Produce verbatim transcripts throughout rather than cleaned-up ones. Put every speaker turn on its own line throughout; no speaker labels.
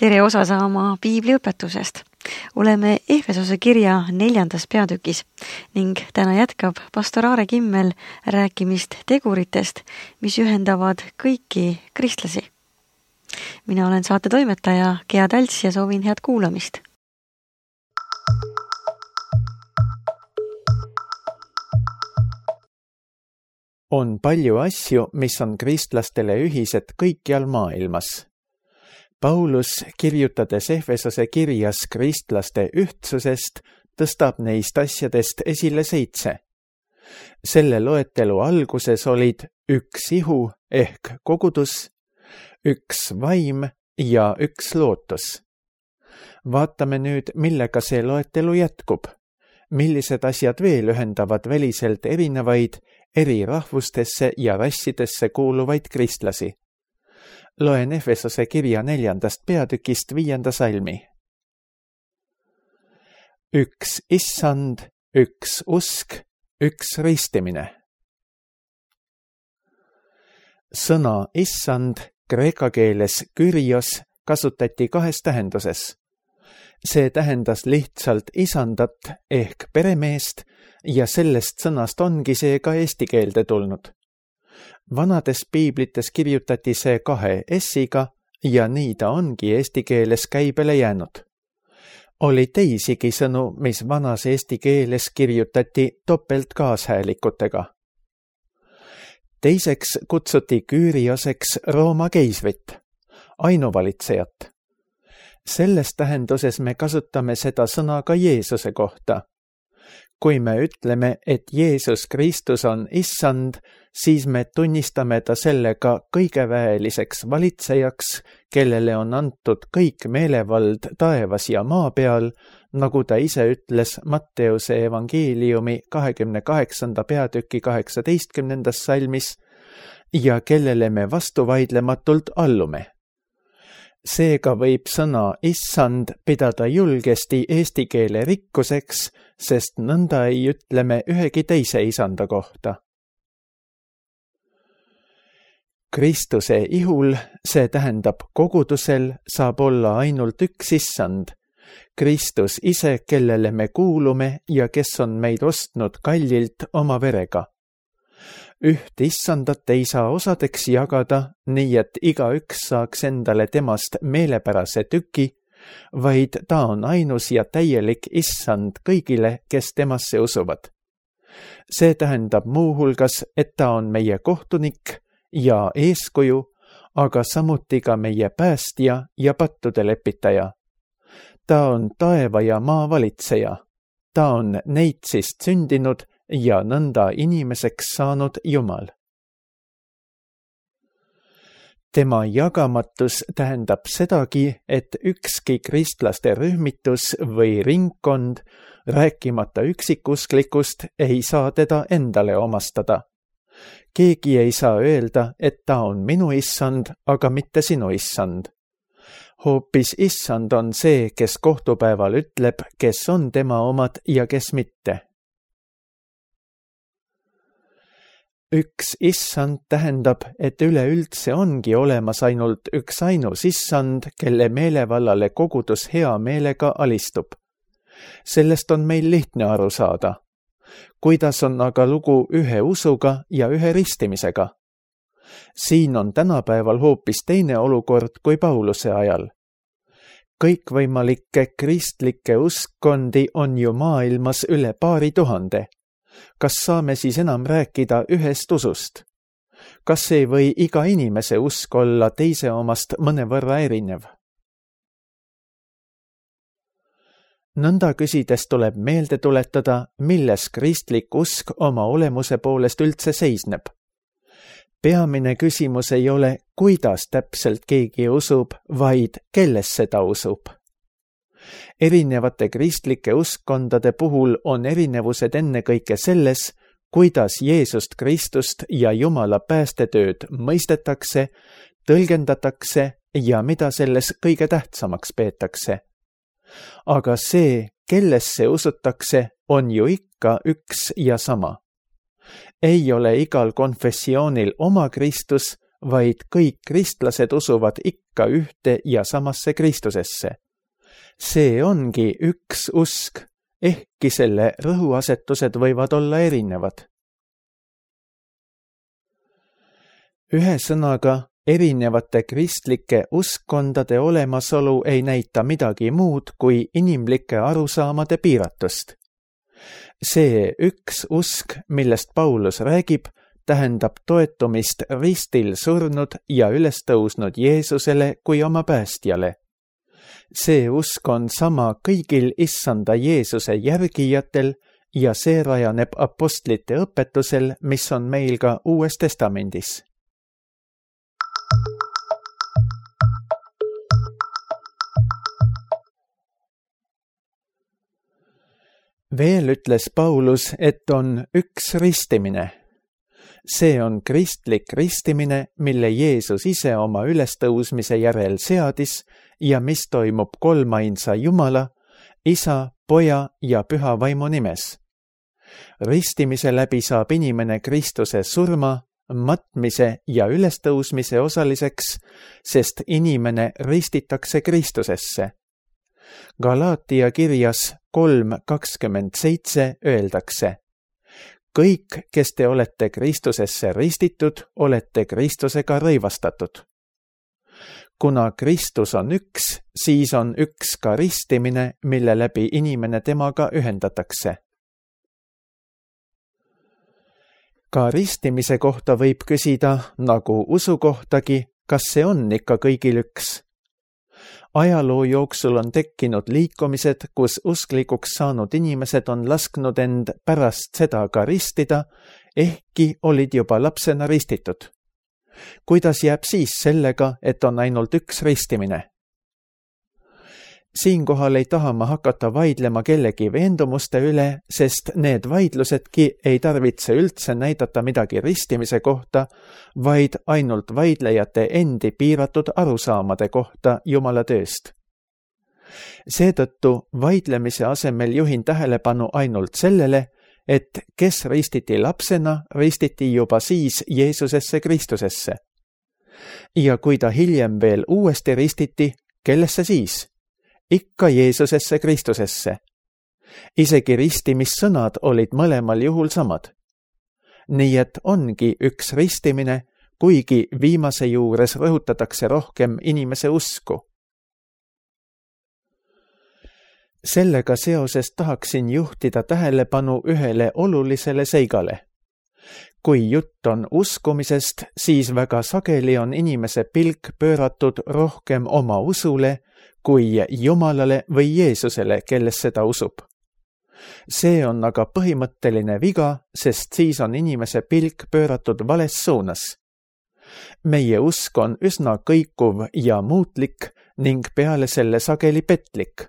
tere osa saama piibliõpetusest. Oleme Efesose kirja neljandas peatükis ning täna jätkab pastor Aare Kimmel rääkimist teguritest, mis ühendavad kõiki kristlasi. Mina olen saate toimetaja Gea Talts ja soovin head kuulamist.
On palju asju, mis on kristlastele ühised kõikjal maailmas. Paulus, kirjutades Efesose kirjas kristlaste ühtsusest, tõstab neist asjadest esile seitse. Selle loetelu alguses olid üks ihu ehk kogudus, üks vaim ja üks lootus. Vaatame nüüd, millega see loetelu jätkub. Millised asjad veel ühendavad väliselt erinevaid, eri rahvustesse ja rassidesse kuuluvaid kristlasi. Loen Efesose kirja neljandast peatükist viienda salmi. Üks issand, üks usk, üks ristimine. Sõna issand kreeka keeles kyrios kasutati kahes tähenduses. See tähendas lihtsalt isandat ehk peremeest ja sellest sõnast ongi see ka eesti keelde tulnud. Vanades piiblites kirjutati see kahe S-iga ja nii ta ongi eesti keeles käibele jäänud. Oli teisigi sõnu, mis vanas eesti keeles kirjutati topelt kaashäälikutega. Teiseks kutsuti Kyrioseks Rooma keisrit, ainuvalitsejat. Selles tähenduses me kasutame seda sõna ka Jeesuse kohta. Kui me ütleme, et Jeesus Kristus on issand, siis me tunnistame ta sellega kõigeväeliseks valitsejaks, kellele on antud kõik meelevald taevas ja maa peal, nagu ta ise ütles Matteuse evangeeliumi kahekümne kaheksanda peatüki kaheksateistkümnendas salmis ja kellele me vastuvaidlematult allume. Seega võib sõna issand pidada julgesti eesti keele rikkuseks, sest nõnda ei ütle me ühegi teise isanda kohta. Kristuse ihul, see tähendab kogudusel, saab olla ainult üks issand. Kristus ise, kellele me kuulume ja kes on meid ostnud kallilt oma verega. Üht issandat ei saa osadeks jagada, nii et igaüks saaks endale temast meelepärase tüki, vaid ta on ainus ja täielik issand kõigile, kes temasse usuvad. See tähendab muuhulgas, et ta on meie kohtunik ja eeskuju, aga samuti ka meie päästja ja pattude lepitaja. Ta on taeva ja maa valitseja. Ta on neitsist sündinud ja nõnda inimeseks saanud Jumal. Tema jagamatus tähendab sedagi, et ükski kristlaste rühmitus või ringkond, rääkimata üksikusklikust, ei saa teda endale omastada. Keegi ei saa öelda, et ta on minu issand, aga mitte sinu issand. Hoopis issand on see, kes kohtupäeval ütleb, kes on tema omad ja kes mitte. Üks issand tähendab, et üleüldse ongi olemas ainult üks ainus issand, kelle meelevallale kogudus hea meelega alistub. Sellest on meil lihtne aru saada. Kuidas on aga lugu ühe usuga ja ühe ristimisega? Siin on tänapäeval hoopis teine olukord kui Pauluse ajal. Kõikvõimalikke kristlikke uskkondi on ju maailmas üle paari tuhande. Kas saame siis enam rääkida ühest usust? Kas ei või iga inimese usk olla teise omast mõnevõrra erinev? Nõnda küsides tuleb meelde tuletada, milles kristlik usk oma olemuse poolest üldse seisneb. Peamine küsimus ei ole, kuidas täpselt keegi usub, vaid kelles seda usub. Erinevate kristlike uskkondade puhul on erinevused ennekõike selles, kuidas Jeesust Kristust ja Jumala päästetööd mõistetakse, tõlgendatakse ja mida selles kõige tähtsamaks peetakse. Aga see, kellesse usutakse, on ju ikka üks ja sama. Ei ole igal konfessioonil oma Kristus, vaid kõik kristlased usuvad ikka ühte ja samasse Kristusesse. See ongi üks usk, ehkki selle rõhuasetused võivad olla erinevad. Ühe sõnaga, erinevate kristlike uskkondade olemasolu ei näita midagi muud kui inimlike arusaamade piiratust. See üks usk, millest Paulus räägib, tähendab toetumist ristil surnud ja üles tõusnud Jeesusele kui oma päästjale. See usk on sama kõigil issanda Jeesuse järgijatel ja see rajaneb apostlite õpetusel, mis on meil ka Uues Testamendis. Veel ütles Paulus, et on üks ristimine. See on kristlik ristimine, mille Jeesus ise oma ülestõusmise järel seadis ja mis toimub kolmainsa Jumala, Isa, Poja ja Püha Vaimu nimes. Ristimise läbi saab inimene Kristuse surma, matmise ja ülestõusmise osaliseks, sest inimene ristitakse Kristusesse. Galaatia kirjas kolm kakskümmend seitse öeldakse: kõik, kes te olete Kristusesse ristitud, olete Kristusega rõivastatud. Kuna Kristus on üks, siis on üks ka ristimine, mille läbi inimene temaga ühendatakse. Ka ristimise kohta võib küsida, nagu usu kohtagi, kas see on ikka kõigil üks. Ajaloo jooksul on tekkinud liikumised, kus usklikuks saanud inimesed on lasknud end pärast seda ka ristida, ehkki olid juba lapsena ristitud. Kuidas jääb siis sellega, et on ainult üks ristimine? Siinkohal ei taha ma hakata vaidlema kellegi veendumuste üle, sest need vaidlusedki ei tarvitse üldse näidata midagi ristimise kohta, vaid ainult vaidlejate endi piiratud arusaamade kohta Jumala tööst. Seetõttu vaidlemise asemel juhin tähelepanu ainult sellele, et kes ristiti lapsena, ristiti juba siis Jeesusesse Kristusesse. Ja kui ta hiljem veel uuesti ristiti, kellesse siis? Ikka Jeesusesse Kristusesse. Isegi ristimissõnad olid mõlemal juhul samad. Nii et ongi üks ristimine, kuigi viimase juures rõhutatakse rohkem inimese usku. Sellega seoses tahaksin juhtida tähelepanu ühele olulisele seigale. Kui jutt on uskumisest, siis väga sageli on inimese pilk pööratud rohkem oma usule kui Jumalale või Jeesusele, kelles seda usub. See on aga põhimõtteline viga, sest siis on inimese pilk pööratud vales suunas. Meie usk on üsna kõikuv ja muutlik ning peale selle sageli petlik.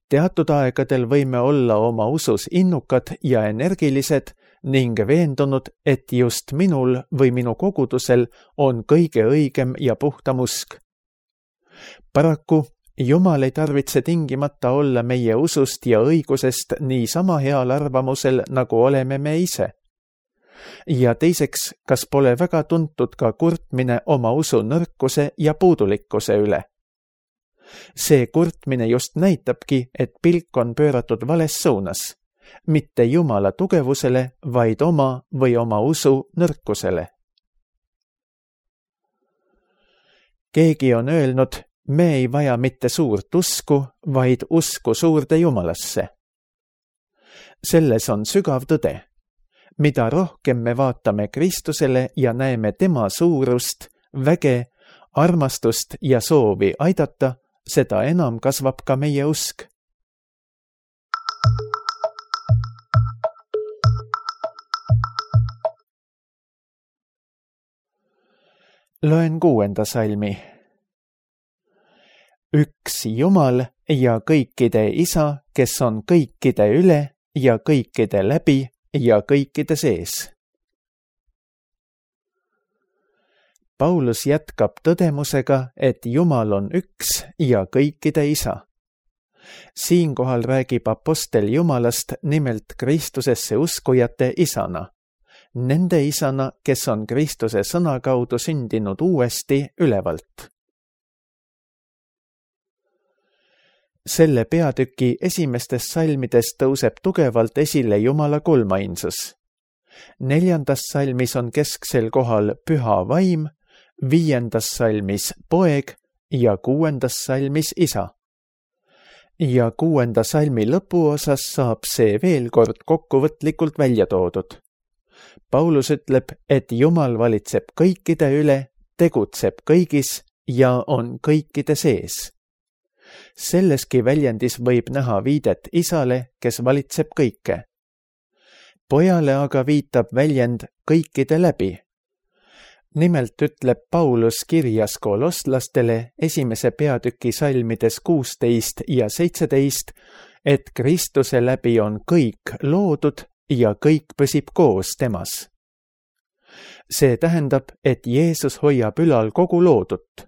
Teatud aegadel võime olla oma usus innukad ja energilised ning veendunud, et just minul või minu kogudusel on kõige õigem ja puhtam usk. Paraku Jumal ei tarvitse tingimata olla meie usust ja õigusest nii sama heal arvamusel, nagu oleme me ise. Ja teiseks, kas pole väga tuntud ka kurtmine oma usu nõrkuse ja puudulikkuse üle? See kurtmine just näitabki, et pilk on pööratud vales suunas, mitte Jumala tugevusele, vaid oma või oma usu nõrkusele. Keegi on öelnud, me ei vaja mitte suurt usku, vaid usku suurde Jumalasse. Selles on sügav tõde. Mida rohkem me vaatame Kristusele ja näeme tema suurust, väge, armastust ja soovi aidata, seda enam kasvab ka meie usk. Loen kuuenda salmi. Üks Jumal ja kõikide Isa, kes on kõikide üle ja kõikide läbi ja kõikide sees. Paulus jätkab tõdemusega, et Jumal on üks ja kõikide Isa. Siinkohal räägib apostel Jumalast nimelt Kristusesse uskujate isana. nende isana, kes on Kristuse sõna kaudu sündinud uuesti ülevalt. Selle peatüki esimestes salmides tõuseb tugevalt esile Jumala kolmainsus. Neljandas salmis on kesksel kohal püha vaim, viiendas salmis poeg ja kuuendas salmis isa. Ja kuuenda salmi lõpuosas saab see veel kord kokkuvõtlikult välja toodud. Paulus ütleb, et Jumal valitseb kõikide üle, tegutseb kõigis ja on kõikide sees. Selleski väljendis võib näha viidet isale, kes valitseb kõike. Pojale aga viitab väljend kõikide läbi. Nimelt ütleb Paulus kirjas kolosslastele esimese peatüki salmides kuusteist ja seitseteist, et Kristuse läbi on kõik loodud ja kõik püsib koos temas. See tähendab, et Jeesus hoiab ülal kogu loodut.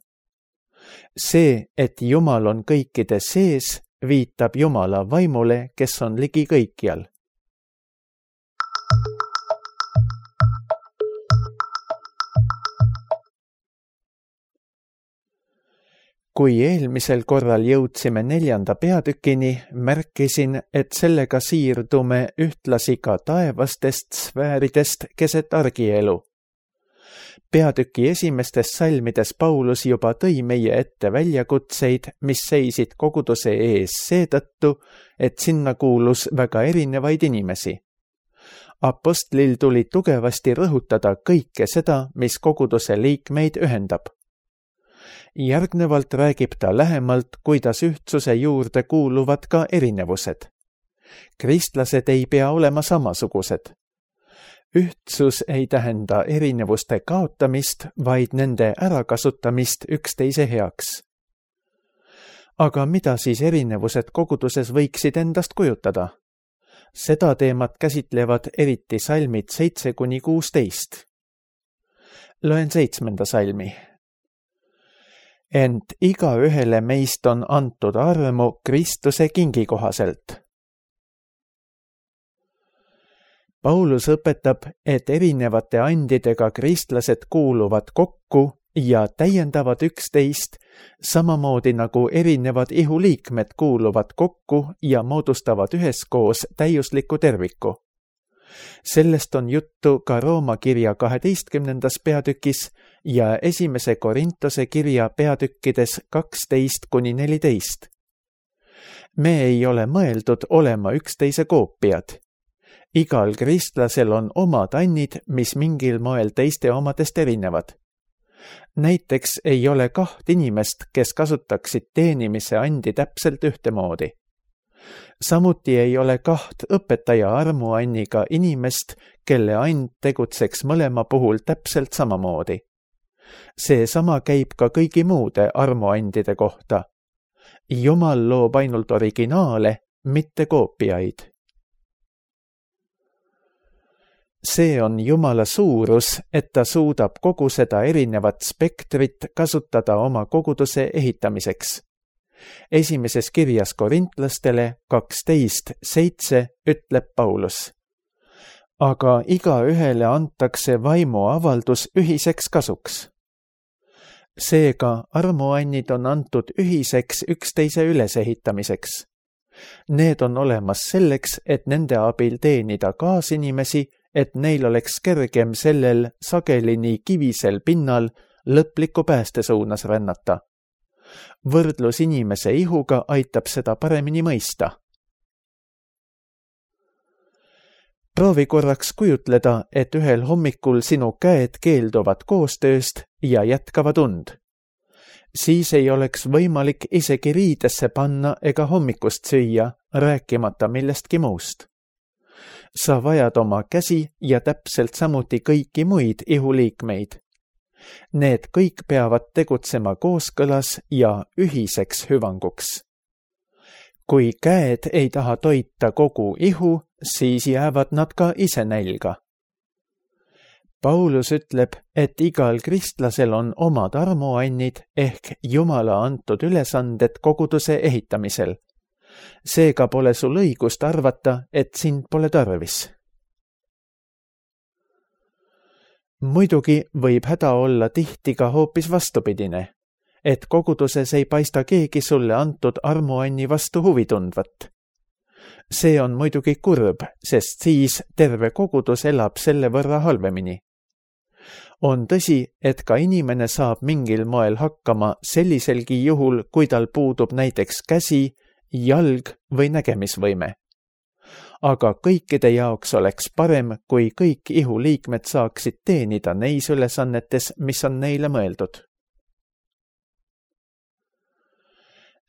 See, et Jumal on kõikide sees, viitab Jumala vaimule, kes on ligi kõikjal. Kui eelmisel korral jõudsime neljanda peatükini, märkisin, et sellega siirdume ühtlasi ka taevastest sfääridest keset argielu. Peatüki esimestes salmides Paulus juba tõi meie ette väljakutseid, mis seisid koguduse ees seetõttu, et sinna kuulus väga erinevaid inimesi. Apostlil tuli tugevasti rõhutada kõike seda, mis koguduse liikmeid ühendab. Järgnevalt räägib ta lähemalt, kuidas ühtsuse juurde kuuluvad ka erinevused. Kristlased ei pea olema samasugused. Ühtsus ei tähenda erinevuste kaotamist, vaid nende ärakasutamist üksteise heaks. Aga mida siis erinevused koguduses võiksid endast kujutada? Seda teemat käsitlevad eriti salmid seitse kuni kuusteist. Loen seitsmenda salmi. Ent igaühele meist on antud armu Kristuse kingi kohaselt. Paulus õpetab, et erinevate andidega kristlased kuuluvad kokku ja täiendavad üksteist, samamoodi nagu erinevad ihuliikmed kuuluvad kokku ja moodustavad üheskoos täiusliku terviku. Sellest on juttu ka Rooma kirja kaheteistkümnendas peatükis ja esimese Korintuse kirja peatükkides kaksteist kuni neliteist. Me ei ole mõeldud olema üksteise koopiad. Igal kristlasel on omad annid, mis mingil moel teiste omadest erinevad. Näiteks ei ole kaht inimest, kes kasutaksid teenimise andi täpselt ühtemoodi. Samuti ei ole kaht õpetaja armuanniga inimest, kelle and tegutseks mõlema puhul täpselt samamoodi. See sama käib ka kõigi muude armuandide kohta. Jumal loob ainult originaale, mitte koopiaid. See on Jumala suurus, et ta suudab kogu seda erinevat spektrit kasutada oma koguduse ehitamiseks. Esimeses kirjas korintlastele kaksteist seitse ütleb Paulus. Aga igaühele antakse vaimu avaldus ühiseks kasuks. Seega armuannid on antud ühiseks üksteise ülesehitamiseks. Need on olemas selleks, et nende abil teenida kaasinimesi, et neil oleks kergem sellel sageli nii kivisel pinnal lõpliku pääste suunas rännata. Võrdlus inimese ihuga aitab seda paremini mõista. Proovi korraks kujutleda, et ühel hommikul sinu käed keelduvad koostööst ja jätkavad und. Siis ei oleks võimalik isegi riidesse panna ega hommikust süüa, rääkimata millestki muust. Sa vajad oma käsi ja täpselt samuti kõiki muid ihuliikmeid. Need kõik peavad tegutsema kooskõlas ja ühiseks hüvanguks. Kui käed ei taha toita kogu ihu, siis jäävad nad ka ise nälga. Paulus ütleb, et igal kristlasel on omad armuannid ehk Jumala antud ülesanded koguduse ehitamisel. Seega pole sul õigust arvata, et sind pole tarvis. muidugi võib häda olla tihti ka hoopis vastupidine, et koguduses ei paista keegi sulle antud armuanni vastu huvi tundvat. See on muidugi kurb, sest siis terve kogudus elab selle võrra halvemini. On tõsi, et ka inimene saab mingil moel hakkama selliselgi juhul, kui tal puudub näiteks käsi, jalg või nägemisvõime. Aga kõikide jaoks oleks parem, kui kõik ihuliikmed saaksid teenida neis ülesannetes, mis on neile mõeldud.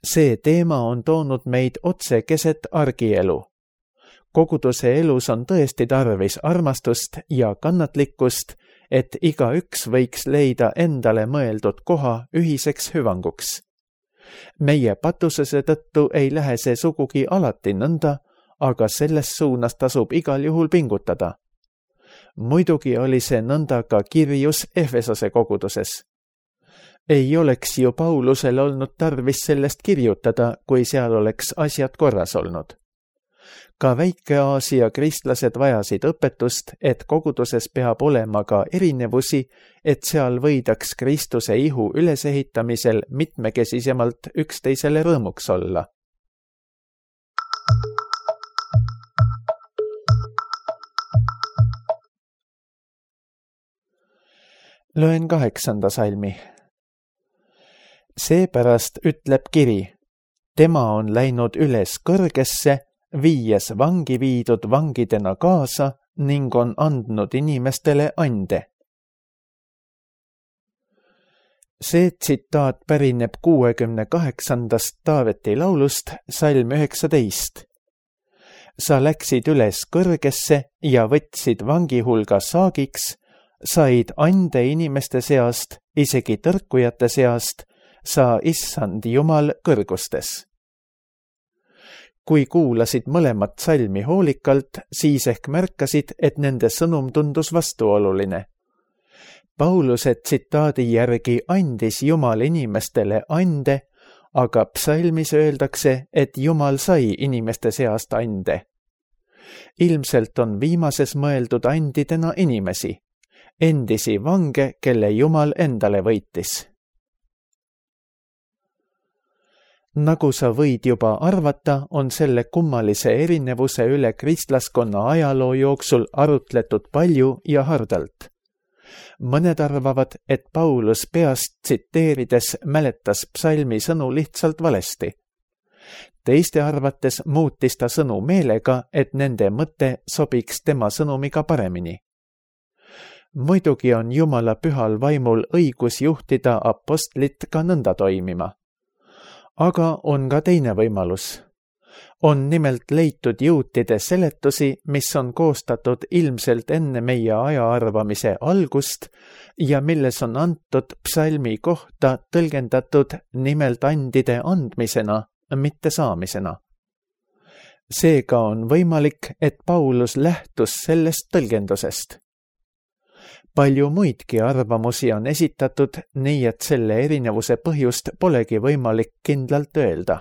See teema on toonud meid otse keset argielu. Koguduse elus on tõesti tarvis armastust ja kannatlikkust, et igaüks võiks leida endale mõeldud koha ühiseks hüvanguks. Meie patusese tõttu ei lähe see sugugi alati nõnda, aga selles suunas tasub igal juhul pingutada. Muidugi oli see nõnda ka kirjus Efesose koguduses. Ei oleks ju Paulusel olnud tarvis sellest kirjutada, kui seal oleks asjad korras olnud. Ka Väike-Aasia kristlased vajasid õpetust, et koguduses peab olema ka erinevusi, et seal võidaks Kristuse ihu ülesehitamisel mitmekesisemalt üksteisele rõõmuks olla. Loen kaheksanda salmi. Seepärast ütleb kiri, tema on läinud üles kõrgesse, viies vangi viidud vangidena kaasa ning on andnud inimestele ande. See tsitaat pärineb kuuekümne kaheksandast Taaveti laulust, salm üheksateist. Sa läksid üles kõrgesse ja võtsid vangi hulga saagiks, said ande inimeste seast, isegi tõrkujate seast, sa issand Jumal kõrgustes. Kui kuulasid mõlemat salmi hoolikalt, siis ehk märkasid, et nende sõnum tundus vastuoluline. Pauluse tsitaadi järgi andis Jumal inimestele ande, aga psalmis öeldakse, et Jumal sai inimeste seast ande. Ilmselt on viimases mõeldud andidena inimesi, endisi vange, kelle Jumal endale võitis. Nagu sa võid juba arvata, on selle kummalise erinevuse üle kristlaskonna ajaloo jooksul arutletud palju ja hardalt. Mõned arvavad, et Paulus peast tsiteerides mäletas psalmi sõnu lihtsalt valesti. Teiste arvates muutis ta sõnu meelega, et nende mõte sobiks tema sõnumiga paremini. Muidugi on Jumala pühal vaimul õigus juhtida apostlit ka nõnda toimima. Aga on ka teine võimalus. On nimelt leitud juutide seletusi, mis on koostatud ilmselt enne meie ajaarvamise algust ja milles on antud psalmi kohta tõlgendatud nimelt andide andmisena, mitte saamisena. Seega on võimalik, et Paulus lähtus sellest tõlgendusest. Palju muidki arvamusi on esitatud, nii et selle erinevuse põhjust polegi võimalik kindlalt öelda.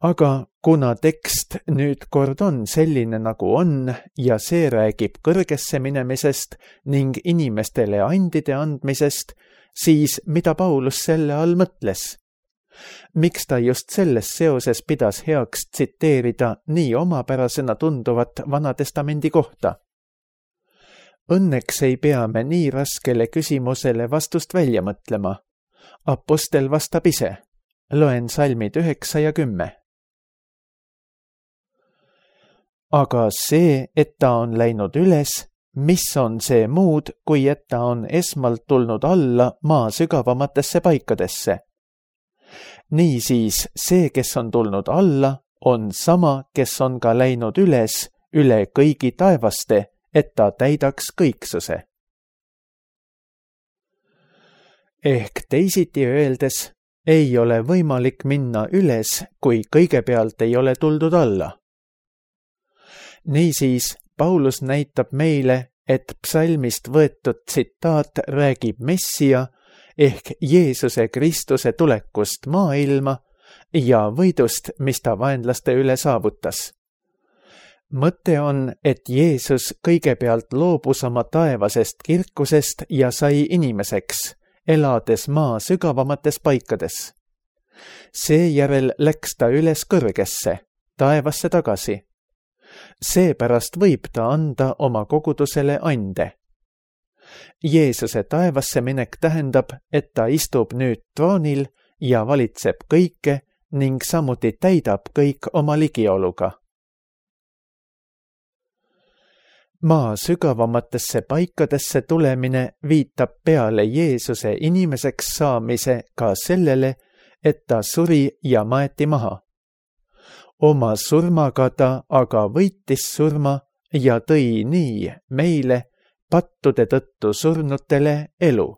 Aga kuna tekst nüüd kord on selline nagu on ja see räägib kõrgesse minemisest ning inimestele andide andmisest, siis mida Paulus selle all mõtles? Miks ta just selles seoses pidas heaks tsiteerida nii omapärasena tunduvat Vanatestamendi kohta? Õnneks ei pea me nii raskele küsimusele vastust välja mõtlema. Apostel vastab ise. Loen salmid üheksa ja kümme. Aga see, et ta on läinud üles, mis on see muud, kui et ta on esmalt tulnud alla maa sügavamatesse paikadesse? Niisiis, see, kes on tulnud alla, on sama, kes on ka läinud üles üle kõigi taevaste, et ta täidaks kõiksuse. Ehk teisiti öeldes, ei ole võimalik minna üles, kui kõigepealt ei ole tuldud alla. Niisiis, Paulus näitab meile, et psalmist võetud tsitaat räägib Messia ehk Jeesuse Kristuse tulekust maailma ja võidust, mis ta vaenlaste üle saavutas. mõte on, et Jeesus kõigepealt loobus oma taevasest kirkusest ja sai inimeseks, elades maa sügavamates paikades. Seejärel läks ta üles kõrgesse, taevasse tagasi. Seepärast võib ta anda oma kogudusele ande. Jeesuse taevasse minek tähendab, et ta istub nüüd troonil ja valitseb kõike ning samuti täidab kõik oma ligioluga. Maa sügavamatesse paikadesse tulemine viitab peale Jeesuse inimeseks saamise ka sellele, et ta suri ja maeti maha. Oma surmaga ta aga võitis surma ja tõi nii meile pattude tõttu surnutele elu.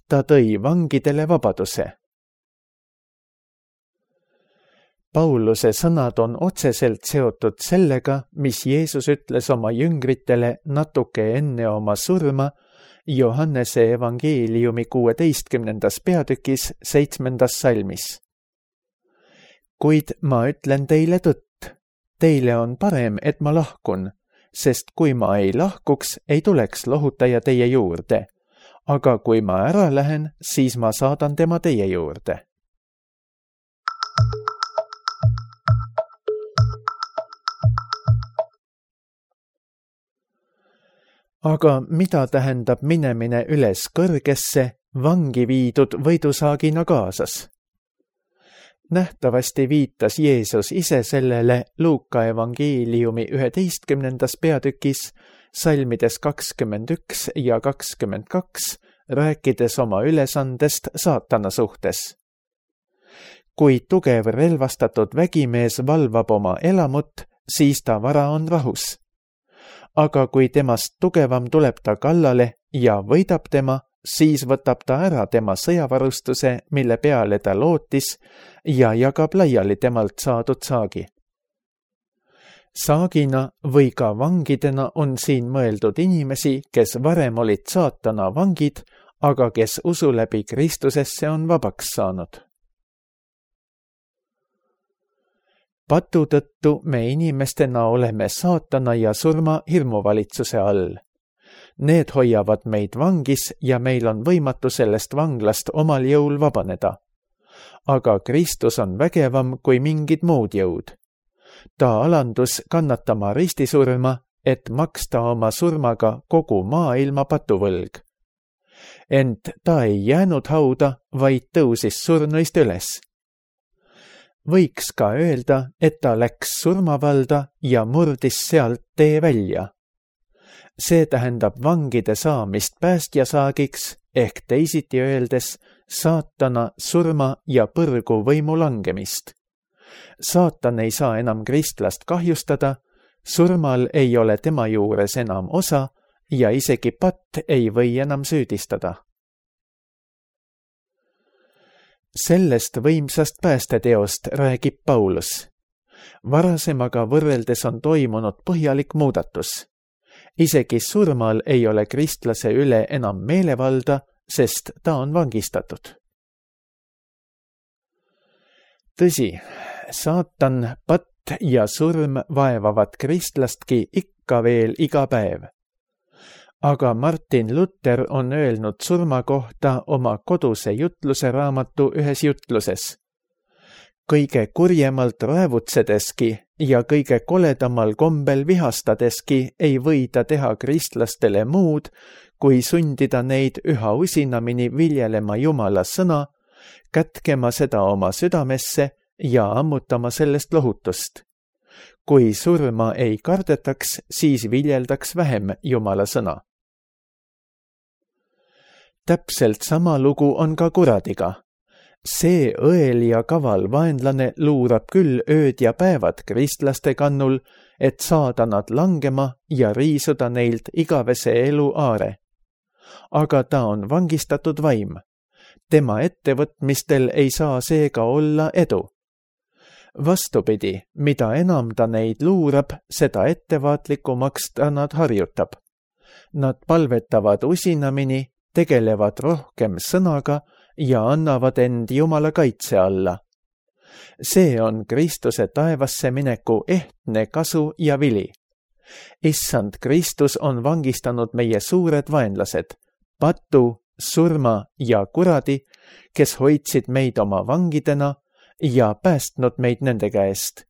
Ta tõi vangidele vabaduse. Pauluse sõnad on otseselt seotud sellega, mis Jeesus ütles oma jüngritele natuke enne oma surma Johannese evangeeliumi kuueteistkümnendas peatükis seitsmendas salmis. Kuid ma ütlen teile tõtt, teile on parem, et ma lahkun, sest kui ma ei lahkuks, ei tuleks lohutaja teie juurde, aga kui ma ära lähen, siis ma saadan tema teie juurde. Aga mida tähendab minemine üles kõrgesse, vangi viidud võidusaagina kaasas? Nähtavasti viitas Jeesus ise sellele Luuka evangeeliumi üheteistkümnendas peatükis, salmides kakskümmend üks ja kakskümmend kaks, rääkides oma ülesandest saatana suhtes. Kui tugev relvastatud vägimees valvab oma elamut, siis ta vara on rahus. Aga kui temast tugevam tuleb ta kallale ja võidab tema, siis võtab ta ära tema sõjavarustuse, mille peale ta lootis, ja jagab laiali temalt saadud saagi. Saagina või ka vangidena on siin mõeldud inimesi, kes varem olid saatana vangid, aga kes usu läbi Kristusesse on vabaks saanud. Patu tõttu me inimestena oleme saatana ja surma hirmuvalitsuse all. Need hoiavad meid vangis ja meil on võimatu sellest vanglast omal jõul vabaneda. Aga Kristus on vägevam kui mingid muud jõud. Ta alandus kannatama ristisurma, et maksta oma surmaga kogu maailma patuvõlg. Ent ta ei jäänud hauda, vaid tõusis surnuist üles. Võiks ka öelda, et ta läks surmavalda ja murdis sealt tee välja. See tähendab vangide saamist päästjasaagiks ehk teisiti öeldes saatana, surma ja põrgu võimu langemist. Saatan ei saa enam kristlast kahjustada, surmal ei ole tema juures enam osa ja isegi patt ei või enam süüdistada. Sellest võimsast päästeteost räägib Paulus. Varasemaga võrreldes on toimunud põhjalik muudatus. Isegi surmal ei ole kristlase üle enam meelevalda, sest ta on vangistatud. Tõsi, saatan, patt ja surm vaevavad kristlastki ikka veel iga päev. Aga Martin Luther on öelnud surma kohta oma koduse jutluse raamatu ühes jutluses. Kõige kurjemalt raevutsedeski ja kõige koledamal kombel vihastadeski ei võida teha kristlastele muud, kui sundida neid üha usinamini viljelema Jumala sõna, kätkema seda oma südamesse ja ammutama sellest lohutust. Kui surma ei kardetaks, siis viljeldaks vähem Jumala sõna. Täpselt sama lugu on ka kuradiga. See õel ja kaval vaenlane luurab küll ööd ja päevad kristlaste kannul, et saada nad langema ja riisuda neilt igavese elu aare. Aga ta on vangistatud vaim. Tema ettevõtmistel ei saa seega olla edu. Vastupidi, mida enam ta neid luurab, seda ettevaatlikumaks ta nad harjutab. Nad palvetavad usinamini, tegelevad rohkem sõnaga ja annavad end Jumala kaitse alla. see on Kristuse taevasse mineku ehtne kasu ja vili. Issand Kristus on vangistanud meie suured vaenlased, patu, surma ja kuradi, kes hoidsid meid oma vangidena ja päästnud meid nende käest.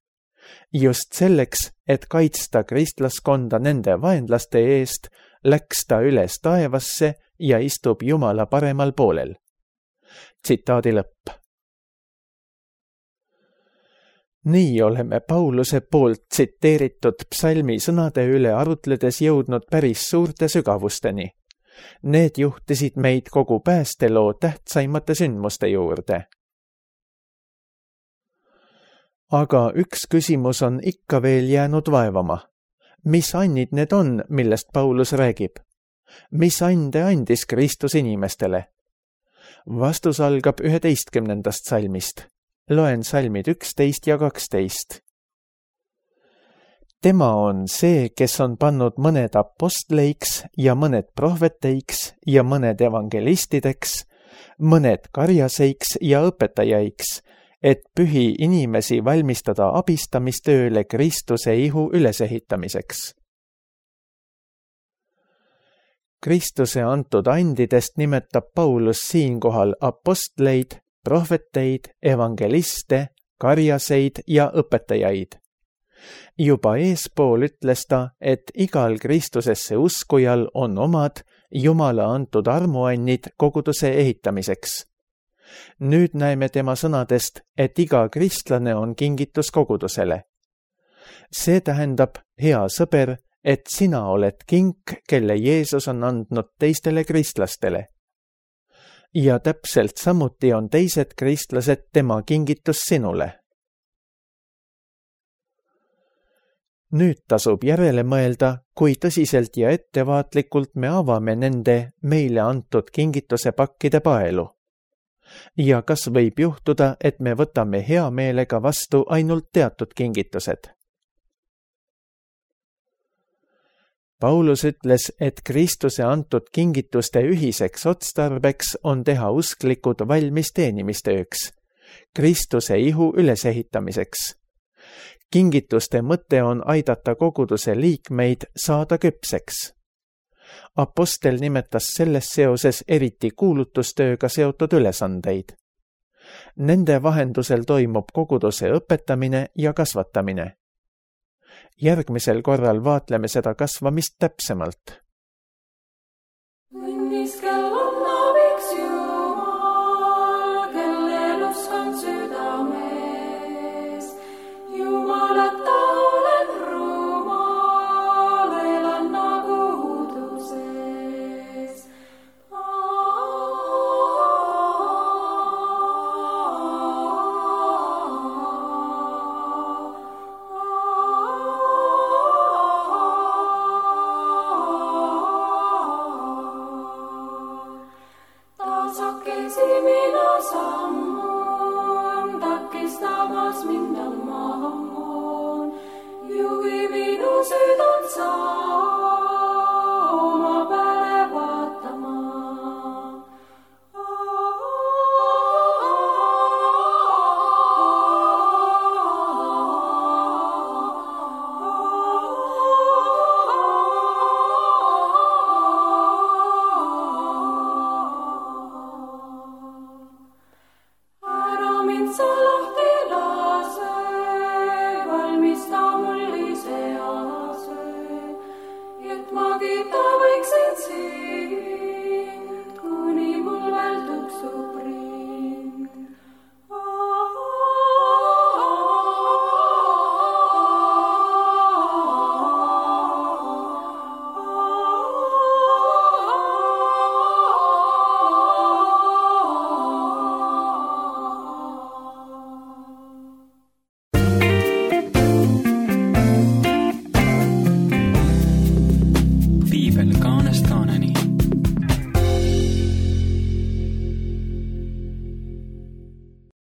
Just selleks, et kaitsta kristlaskonda nende vaenlaste eest, läks ta üles taevasse ja istub Jumala paremal poolel. Tsitaadi lõpp. Nii oleme Pauluse poolt tsiteeritud psalmi sõnade üle arutledes jõudnud päris suurte sügavusteni. Need juhtisid meid kogu päästeloo tähtsaimate sündmuste juurde. Aga üks küsimus on ikka veel jäänud vaevama. Mis annid need on, millest Paulus räägib? Mis ande andis Kristus inimestele? Vastus algab üheteistkümnendast salmist. Loen salmid üksteist ja kaksteist. Tema on see, kes on pannud mõned apostleiks ja mõned prohveteiks ja mõned evangelistideks, mõned karjaseiks ja õpetajaiks, et pühi inimesi valmistada abistamistööle Kristuse ihu ülesehitamiseks. Kristuse antud andidest nimetab Paulus siinkohal apostleid, prohveteid, evangeliste, karjaseid ja õpetajaid. Juba eespool ütles ta, et igal Kristusesse uskujal on omad Jumala antud armuannid koguduse ehitamiseks. Nüüd näeme tema sõnadest, et iga kristlane on kingitus kogudusele. See tähendab, hea sõber, et sina oled kink, kelle Jeesus on andnud teistele kristlastele. Ja täpselt samuti on teised kristlased tema kingitus sinule. Nüüd tasub järele mõelda, kui tõsiselt ja ettevaatlikult me avame nende meile antud kingituse pakkide paelu. Ja kas võib juhtuda, et me võtame hea meelega vastu ainult teatud kingitused? Paulus ütles, et Kristuse antud kingituste ühiseks otstarbeks on teha usklikud valmis teenimistööks, Kristuse ihu ülesehitamiseks. Kingituste mõte on aidata koguduse liikmeid saada küpseks. Apostel nimetas selles seoses eriti kuulutustööga seotud ülesandeid. Nende vahendusel toimub koguduse õpetamine ja kasvatamine. Järgmisel korral vaatleme seda kasvamist täpsemalt.